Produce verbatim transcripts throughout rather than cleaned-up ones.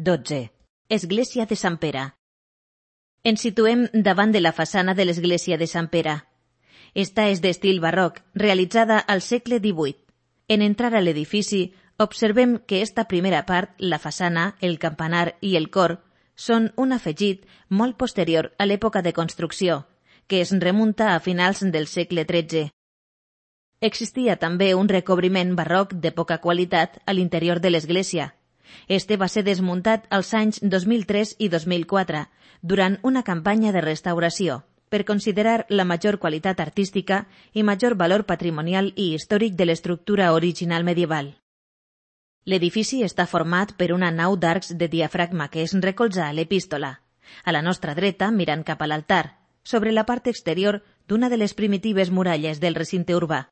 dotze. Església de Sant Pere. Ens situem davant de la façana de l'església de Sant Pere. Esta és d'estil barroc, realitzada al segle divuit. En entrar a l'edifici, observem que esta primera part, la façana, el campanar i el cor, són un afegit molt posterior a l'època de construcció, que es remunta a finals del segle tretze. Existia també un recobriment barroc de poca qualitat a l'interior de l'església. Este va ser desmuntat als anys dos mil tres i dos mil quatre, durant una campanya de restauració, per considerar la major qualitat artística i major valor patrimonial i històric de l'estructura original medieval. L'edifici està format per una nau d'arcs de diafragma que es recolza a l'epístola, a la nostra dreta mirant cap a l'altar, sobre la part exterior d'una de les primitives muralles del recinte urbà.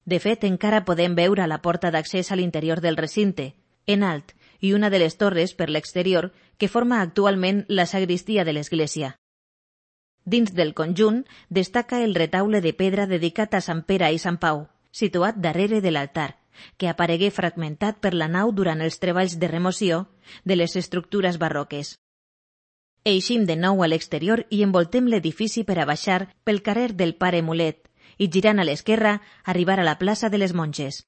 De fet, encara podem veure la porta d'accés a l'interior del recinte, en alt, i una de les torres per l'exterior que forma actualment la sagristia de l'església. Dins del conjunt destaca el retaule de pedra dedicat a Sant Pere i Sant Pau, situat darrere de l'altar, que aparegué fragmentat per la nau durant els treballs de remoció de les estructures barroques. Eixim de nou a l'exterior i envoltem l'edifici per a baixar pel carrer del Pare Mulet i, girant a l'esquerra, arribar a la plaça de les Monges.